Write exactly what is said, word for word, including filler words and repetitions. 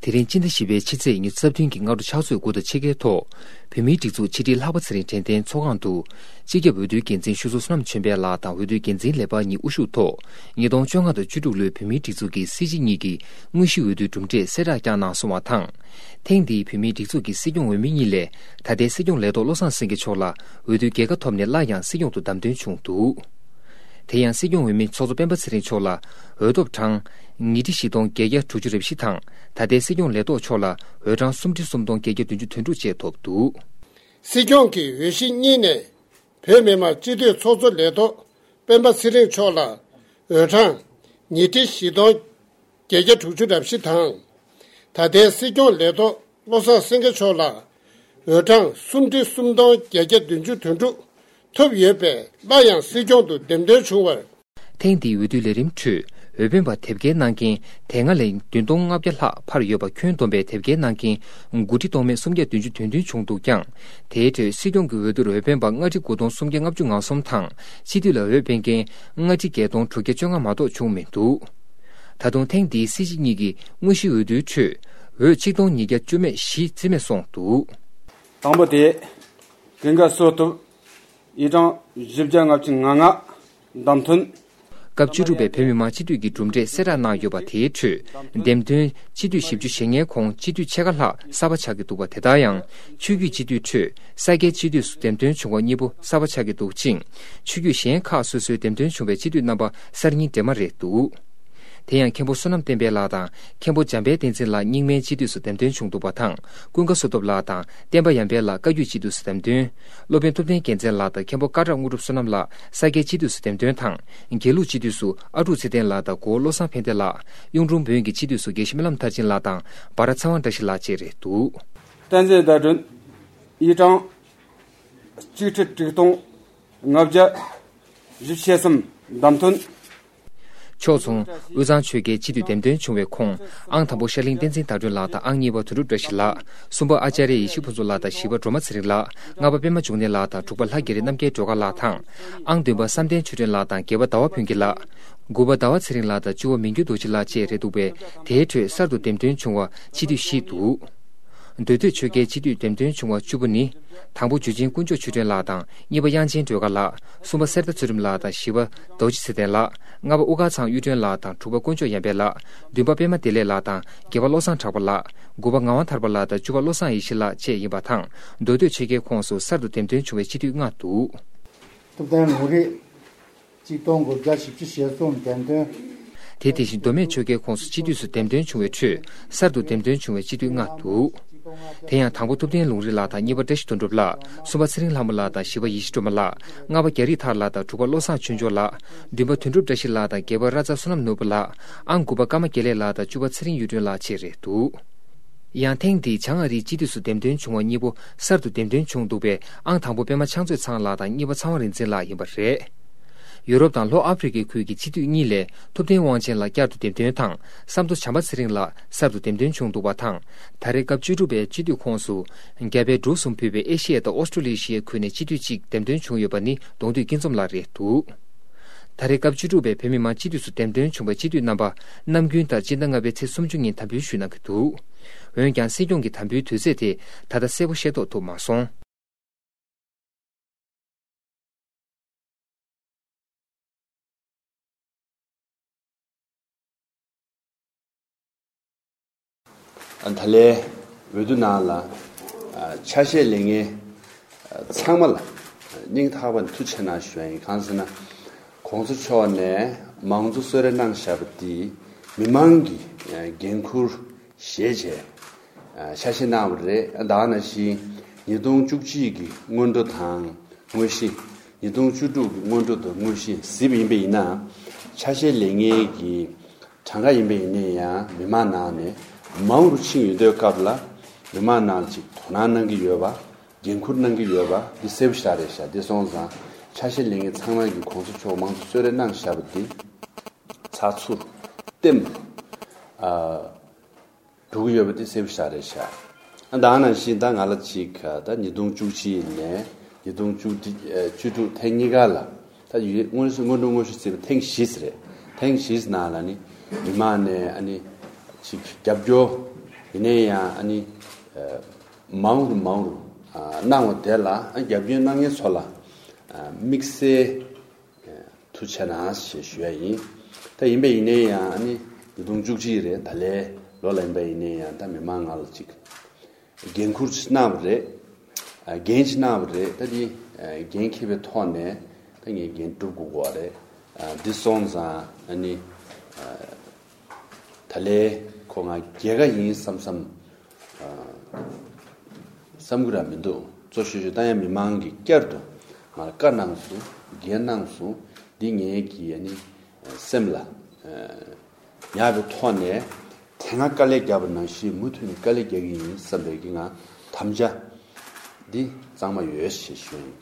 དེ་རིང་སྤྱི་ཟླ་བཞི་པའི་ཕྱི་ཚེས་ཉི་ཤུ་རྩ་བདུན་གྱི་སྔ་དྲོ་ཕྱག་ཚོད་དགུ་དང་ཕྱེད་ཀའི་ཐོག་བོད་མིའི་སྒྲིག་འཛུགས་ཕྱི་དྲིལ་ལྷག་པ་ཚེ་རིང་དྲན་རྟེན་ཚོགས་ཁང་དུ། སྤྱི་ཁྱབ་འོས་བསྡུའི་འགན་འཛིན་ཆོས་ཚོགས་བསོད་ནམས་ཆོས་འཕེལ་ལགས་དང་འོས་བསྡུའི་འགན་འཛིན་ལས་འཕར་གཉིས་དབུ་བཞུགས་ཐོག་ཉིས་སྟོང་བཅོ་ལྔ་དང་བཅུ་དྲུག་ལོའི་བོད་མིའི་སྒྲིག་འཛུགས་ཀྱི་སྲིད་སྤྱི་གཉིས་ཀྱི་དངོས་གཞིའི་འོས་བསྡུའི་གྲུབ་འབྲས་གསལ་བསྒྲགས་བསྐྱངས་གནང་སོང་བ་དང་། ཐེངས་འདིའི་བོད་མིའི་སྒྲིག་འཛུགས་ཀྱི་སྲིད་སྐྱོང་འོས་མི་གཉིས་ལས་ད་ལྟའི་སྲིད་སྐྱོང་ལས་ཐོག་བློ་བཟང་སེང་གེ་མཆོག་ལ་འོས་བསྡུའི་རྒྱལ་ཁ་ཐོབ་ནས་སླར་ཡང་སྲིད་སྐྱོང་དུ་བདམས་ཐོན་བྱུང་འདུག་དེ་ཡང་སྲིད་སྐྱོང་འོས་མི་ཚོགས་གཙོ་སྤེན་པ་ཚེ་རིང་མཆོག་ལ་འོས་ཐོབ་གྲངས་ཉིས་ཁྲི་བཞི་སྟོང་བརྒྱད་བརྒྱ་དྲུག་ཅུ་རེ་བཞི་དང་། ད་ལྟའི་སྲིད་སྐྱོང་ལས་ཐོག་མཆོག་ལ་འོས་གྲངས་སུམ་ཁྲི་སུམ་སྟོང་བརྒྱད་བརྒྱ་བདུན་ཅུ་དོན་དྲུག་བཅས་ཐོབ་འདུག་སྲིད་སྐྱོང་གི་འོས་གཞི་གཉིས་ནས་བོད་མི་མང་སྤྱི་འཐུས་ཚོགས་གཙོ་ལས་ཐོག་སྤེན་པ་ཚེ་རིང་མཆོག་ལ་འོས་གྲངས་ཉིས་ཁྲི་བཞི་སྟོང་བརྒྱད་བརྒྱ་དྲུག་ཅུ་རེ་བཞི་དང་། ད་ལྟའི་སྲིད་སྐྱོང་ལས་ཐོག་བློ་བཟང་སེང་གེ་མཆོག་ལ་འོས་གྲངས་སུམ་ཁྲི་སུམ་སྟོང་བརྒྱད་བརྒྱ་བདུན་ཅུ་དོན་དྲུག་ཐོབ་ཡོད་པས་སླར་ཡང་སྲིད་སྐྱོང་དུ་འདེམས་ཐོན་བྱུང་བར། ཐེངས་འདིའི་འོས་བསྡུའི་ལས་རིམ་ཁྲོད་འོས་འཕེན་པ་དེབ་སྐྱེལ་གནང་མཁན་དེ་སྔ་ལས་བདུན་སྟོང་ལྔ་བརྒྱ་ལྷག་འཕར་ཡོད་པ་ཁྱོན་བསྡོམས་པའི་དེབ་སྐྱེལ་གནང་མཁན་དགུ་ཁྲི་སྟོང་མེད་སུམ་བརྒྱ་བདུན་ཅུ་དོན་བདུན་བྱུང་འདུག་ཀྱང་། དེའི་ཁྲོད་སྲིད་སྐྱོང་གི་འོས་བསྡུར་འོས་འཕེན་པ་ལྔ་ཁྲི་དགུ་སྟོང་སུམ་བརྒྱ་ལྔ་བཅུ་ང་གསུམ་དང་སྤྱི་འཐུས་ལ་འོས་འཕེན་མཁན་ལྔ་ཁྲི་བརྒྱད་སྟོང་དྲུག་བརྒྱ་བཅོ་ལྔ་མ་གཏོགས་བྱུང་མི་འདུག་ད་དུང་ཐེངས་འདིའི་སྲིད་སྤྱི་གཉིས་ཀྱི་དངོས་གཞིའི་འོས་བསྡུའི་ཁྲོད་འོས་ཆིག་སྟོང་ཉིས་བརྒྱ་བཅུ་མེད་བཞི་རྩིས་མེད་སོང་འདུག་དང་པོ་དེ་ཀུན་དགའ་བསོད་སྟོབས། ཨི་གྲངས་བཞི་བརྒྱ་ལྔ་བཅུ་ང་ལྔ་བདམས་ཐོན། སྐབས་བཅུ་དྲུག་པའི་བོད་མི་མང་སྤྱི་འཐུས་ཀྱི་གྲུབ་འབྲས་གསལ་བསྒྲགས་གནང་ཡོད་པ་དེའི་ཁྲོད་འདེམས་ཐོན་སྤྱི་འཐུས་བཞི་བཅུ་ཞེ་ལྔའི་ཁོངས་སྤྱི་འཐུས་ཕྱེད་ཀ་ལྷག་གསར་པ་ཆགས་ཀྱི་འདུག་པ། དེ་ལྟར་ཡང་ཆོས་བརྒྱུད་སྤྱི་འཐུས་ཁྲོད་ས་སྐྱའི་སྤྱི་འཐུས་སུ་འདེམས་ཐོན་བྱུང་བ་གཉིས་པོ་གསར་པ་ཆགས་ཀྱི་འདུག་ཅིང་། ཆོས་བརྒྱུད་གཞན་ཁག་སོ་སོའི་འདེམས་ཐོན་བྱུང་བའི་སྤྱི་འཐུས་རྣམ་པ་གསར་རྙིང་འདྲེས་མ་རེད་འདུག་དེ་ཡང་མཁན་པོ་བསོད་ནམས་བསྟན་འཕེལ་ལགས་དང་མཁན་པོ་འཇམ་དཔལ་བསྟན་འཛིན་ལགས་རྙིང་མའི་སྤྱི་འཐུས་སུ་འདེམས་ཐོན་བྱུང་འདུག་པ་དང་། ཀུན་དགའ་བསོད་སྟོབས་ལགས་དང་བསྟན་པ་ཡར་འཕེལ་ལགས་བཀའ་བརྒྱུད་སྤྱི་འཐུས་སུ་འདེམས་ཐོན། སློབ་དཔོན་ཐུབ་བསྟན་རྒྱལ་མཚན་ལགས་དང་མཁན་པོ་སྐ་བྲག་དངོས་གྲུབ་བསོད་ནམས་ལགས་ས་སྐྱའི་སྤྱི་འཐུས་སུ་འདེམས་ཐོན་དང་། དགེ་ལུགས་སྤྱི་འཐུས་སུ་ཨ་ཀྲུག་ཚེ་བརྟན་ལགས་དང་གོ་བོ་བློ་བཟང་ཕན་བདེ་ལགས། གཡུང་དྲུང་བོན་གྱི་སྤྱི་འཐུས་སུ་དགེ་བཤེས་སྨོན་ལམ་མཐར་ཕྱིན་ལགས་དང་འབའ་ར་ཚེ་དབང་བཀྲ་ཤིས་ལགས་བཅས་རེད་འདུག་བསྟན་འཛིན་ཟླ་སྒྲོན། ཨི་གྲངས་གཅིག་ཁྲི་དྲུག་སྟོང་ལྔ་བརྒྱ་བཞི་བཅུ་ཞེ་གསུམ་བདམས་ཐོན། ཕྱོགས་མཚུངས་དབུས་གཙང་ཆོལ་ཁའི་སྤྱི་འཐུས་འདེམས་ཐོན་བྱུང་བའི་ཁོངས་ཨང་དང་པོ་ཤར་གླིང་བསྟན་འཛིན་དར་སྒྲོན་ལགས་དང་ཨང་གཉིས་པ་དོན་གྲུབ་བཀྲ་ཤིས་ལགས། གསུམ་པ་ཨ་ཅཱརྱ་ཡེ་ཤེས་ཕུན་ཚོགས་ལགས་དང་བཞི་པ་སྒྲོལ་མ་ཚེ་རིང་ལགས། ལྔ་པ་པད་མ་འབྱུང་གནས་ལགས་དང་དྲུག་པ་ལྷ་རྒྱ་རི་རྣམ་རྒྱལ་སྒྲོལ་དཀར་ལགས་དང་། ཨང་བདུན་པ་བསམ་གཏན་ཆོས་སྒྲོན་ལགས་དང་བརྒྱད་པ་ཟླ་བ་ཕུན་སྐྱིད་ལགས། དགུ་པ་ཟླ་བ་ཚེ་རིང་ལགས་དང་བཅུ་པ་མི་འགྱུར་རྡོ་རྗེ་ལགས་བཅས་རེད་འདུག་པས། དེའི་ཁྲོད་གསར་དུ་འདེམས་ཐོན་བྱུང་བ་སྤྱི་འཐུས་བཞི་འདུག་མདོ་སྟོད་ཆོལ་ཁའི་སྤྱི་འཐུས་འདེམས་ཐོན་བྱུང་བ་བཅུ་པོ་ནི། དང་པོ་འཇུ་ཆེན་དཀོན་མཆོག་ཆོས་སྒྲོན་ལགས་དང་གཉིས་པ་དབྱངས་ཅན་སྒྲོལ་དཀར་ལགས། གསུམ་པ་གསེར་རྟ་ཚུལ་ཁྲིམས་ལགས་དང་བཞི་པ་རྡོ་རྗེ་ཚེ་བརྟན་ལགས། ལྔ་པ་དབུ་དཀར་ཚང་གཡུ་སྒྲོན་ལགས་དང་དྲུག་པ་དཀོན་མཆོག་ཡར་འཕེལ་ལགས། བདུན་པ་པད་མ་བདེ་ལེགས་ལགས་དང་བརྒྱད་པ་བློ་བཟང་གྲགས་པ་ལགས། དགུ་པ་ངག་དབང་ཐར་པ་ལགས་དང་བཅུ་པ་བློ་བཟང་ཡེ་ཤེས་ལགས་བཅས་ཡིན་པ་དང་། མདོ་སྟོད་ཆོལ་ཁའི་ཁོངས་སུ་གསར་དུ་འདེམས་ཐོན་བྱུང་བའི་སྤྱི་འཐུས་ལྔ་འདུག་ཐུབ་བསྟན་ལུང་རིགས། གཅིག་སྟོང་དགུ་བརྒྱ་བཞི་བཅུ་ཞེ་གསུམ་འདེམས་ཐོན། དེ་དེ་བཞིན་མདོ་སྨད་ཆོལ་ཁའི་ཁོངས་སུ་སྤྱི་འཐུས་སུ་འདེམས་ཐོན་བྱུང་བའི་ཁྲོད་གསར་དུ་འདེམས་ཐོན་བྱུང་བའི་སྤྱི་འཐུས་ལྔ་འདུག་དེ་ཡང་དང་པོ་ཐུབ་བསྟན་ལུང་རིགས་ལགས་དང་གཉིས་པ་བཀྲ་ཤིས་དོན་གྲུབ་ལགས། གསུམ་པ་ཚེ་རིང་ལྷ་མོ་ལགས་དང་བཞི་པ་ཡེ་ཤེས་སྒྲོལ་མ་ལགས། ལྔ་པ་རྒྱ་རིགས་ཐར་ལགས་དང་དྲུག་པ་བློ་བཟང་ཆོས་འབྱོར་ལགས། བདུན་པ་དོན་གྲུབ་བཀྲ་ཤིས་ལགས་དང་བརྒྱད་པ་ར་ཙ་བསོད་ནམས་ནོར་བུ་ལགས། ཨང་དགུ་པ་ཀརྨ་དགེ་ལེགས་ལགས་དང་བཅུ་པ་ཚེ་རིང་གཡུ་སྒྲོན་ལགས་བཅས་རེད་འདུག་ཡང་ཐེངས་འདིའི་བྱང་ཨ་རིའི་སྤྱི་འཐུས་སུ་འདེམས་ཐོན་བྱུང་བ་གཉིས་པོ་གསར་དུ་འདེམས་ཐོན་བྱུང་འདུག་པས། ཨང་དང་པོ་པད་མ་ཕྱག་མཛོད་ཚང་ལགས་དང་གཉིས་པ་ཚངས་དབང་རིག་འཛིན་ལགས་ཡིན་པ་རེད། ཡུ་རོབ་དང་ལྷོ་ཨ་ཕི་རི་ཀའི་ཁུལ་གྱི་སྤྱི་འཐུས་གཉིས་ལས་ཐུབ་བསྟན་དབང་ཆེན་ལགས་བསྐྱར་དུ་འདེམས་ཐོན་དང་། བསམ་མདོ་བྱམས་པ་ཚེ་རིང་ལགས་གསར་དུ་འདེམས་ཐོན་བྱུང་འདུག་པ་དང་། ད་རེས་སྐབས་བཅུ་དྲུག་པའི་སྤྱི་འཐུས་ཁོངས་སུ་རྒྱ་བལ་འབྲུག་གསུམ་ཕུད་པའི་ཨེ་ཤི་ཡ་དང་ཨོ་སི་ཀྲོ་ལི་ཤི་ཡའི་ཁུལ་ནས་སྤྱི་འཐུས་གཅིག་འདེམས་ཐོན་བྱུང་ཡོད་པ་ནི་གདོང་འདུས་སྐྱིད་འཛོམས་ལགས་རེད་འདུག་ད་རེས་སྐབས་བཅུ་དྲུག་པའི་བོད་མི་མང་སྤྱི་འཐུས་སུ་འདེམས་ཐོན་བྱུང་བའི་སྤྱི་འཐུས་རྣམ་པ་ནམ་རྒྱུན་ལྟར་སྤྱི་ཟླ་ལྔ་པའི་ཚེས་སུམ་ཅུ་ཉིན་དམ་འབུལ་ཞུས་གནང་གི་འདུག་འོན་ཀྱང་སྲིད་སྐྱོང་གི་དམ་འབུལ་དུས་ཚོད་དེ་ད་ལྟ་གསལ་པོ་ཤེས་རྟོགས་ཐུབ་མ་སོང་། ད་ལན་འོས་བསྡུ་ནང་ལ་ཆ་ཤས་ལེན་མཁན་ཚང་མ་ལ་སྙིང་ཐག་པ་ནས་ཐུགས་རྗེ་ཆེ་གནང་ཞུ་ཡ་ཡིན། གང་ཟེར་ན་གོང་ས་མཆོག་ནས་མང་གཙོ་གསོལ་རས་གནང་བཞག་པ་འདི་མི་མང་གི་འགན་འཁུར་བཞེས་བྱས་ཆ་ཤས་གནང་བ་རེད། ད་ག་ནང་བཞིན་ཉིས་སྟོང་བཅུ་གཅིག་གི་སྔོན་འགྲོ་དང་དངོས་གཞི། ཉིས་སྟོང་བཅུ་དྲུག་གི་སྔོན་འགྲོ་དང་དངོས་གཞི་གཟིགས་པ་ཡིན་པ་ཡིན་ན། ཆ་ཤས་ལེན་མཁན་གྱི་གྲངས་ཀ་ཡིན་པ་ཡིན་ན་ཡང་མི་མང་ནང་ནས་མང་རུ་ཕྱིན་ཡོད་དུས་སྐབས་ལ་མི་མང་ནང་ཅིག་དོ་སྣང་གནང་གི་ཡོད་པ། འགན་འཁུར་གནང་གི་ཡོད་པ་འདི་གསལ་པོ་ཞེ་དྲག་རེད་ཤག་འདི་སོང་ཙང་ཆ་ཤས་ལེན་མཁན་ཚང་མ་གིས་གོང་ས་མཆོག་མང་གཙོ་གསོལ་རས་གནང་བཞག་པ་འདི་ཚགས་ཚུད་ལྟེམ། ཨ། འགྲོ་གི་ཡོད་པ་དེ་གསལ་པོ་ཞེ་དྲག་རེད་ཤག་ཨ། ད་ག་ནང་བཞིན་ད་ང་ལ་ཅིག་ད་ཉིས་སྟོང་བཅུ་གཅིག་ནས་ཉིས་སྟོང་བཅུ་དྲུག་ཐེངས་གཉིས་ཀ་ལ་ད་ཡུལ་སྔོན་སྔོན་འགྲོ་དངོས་གཞི་བརྩིས་པ་ཐེངས་བཞི་རེད། ཐེངས་བཞི་ནང་ལ་ནི་མི་མང་ནས་ཨ་ནི་ཅིག་རྒྱབ་སྐྱོར་ ཡིན་ནའི་ཡང་ཨ་ནི་མང་རུ་མང་རུ་གནང་བ་དེ་ལ་རྒྱབ་སྐྱོར་གནང་མཁན་ཚོ་ལ་དམིགས་བསལ་ཐུགས་རྗེ་གནང་ཞེས་ཞུ་ཡ་ཡིན། ད་ཡིན་པས་ཡིན་ནའི་ཡང་ཨ་ནི་ཉིས་སྟོང་བཅུ་གཅིག་རེད། ད་ལོའི་ལོ་ལ་ཡིན་པས་ཡིན་ནའི་ཡང་ད་མི་མང་ང་ལ་ཅིག་འགན་ཁུར་ཅིག་གནང་བ་རེད། འགན་ཅིག་གནང་བ་རེད། ད་འདི་འགན་འཁྱེར་བའི་ཐོག་ནས་ད་ངས་འགན་སྒྲུབ་དགོས་ཀྱི་རེད། འདི་སོང་ཙང་ཨ་ནི་ད་ལོའི་ཁོ་ང་རྒྱལ་ཁ་ཡིན་བསམ་བསམ་བསམ་གི་ར་མི་འདུག། གཙོ་ཆེ་ཤོས་ད་ཡང་མི་མང་གིས་བསྐྱར་དུ་ང་ལ་བཀའ་གནང་སོང་། འགན་གནང་སོང་། འདི་ངས་ཀྱིས་ཨ་ནི་སེམས་ལ་ཉར་བའི་ཐོག་ནས་དེ་སྔ་དཀའ་ལས་བརྒྱབ་པ་ནང་བཞིན་མུ་མཐུད་ནས་དཀའ་ལས་རྒྱག་གི་ཡིན་བསམ་པའི་གི་ང་དམ་བཅའ་འདི་གཙང་མ་ཡོད་ཞེས་ཞུ་ཡིན།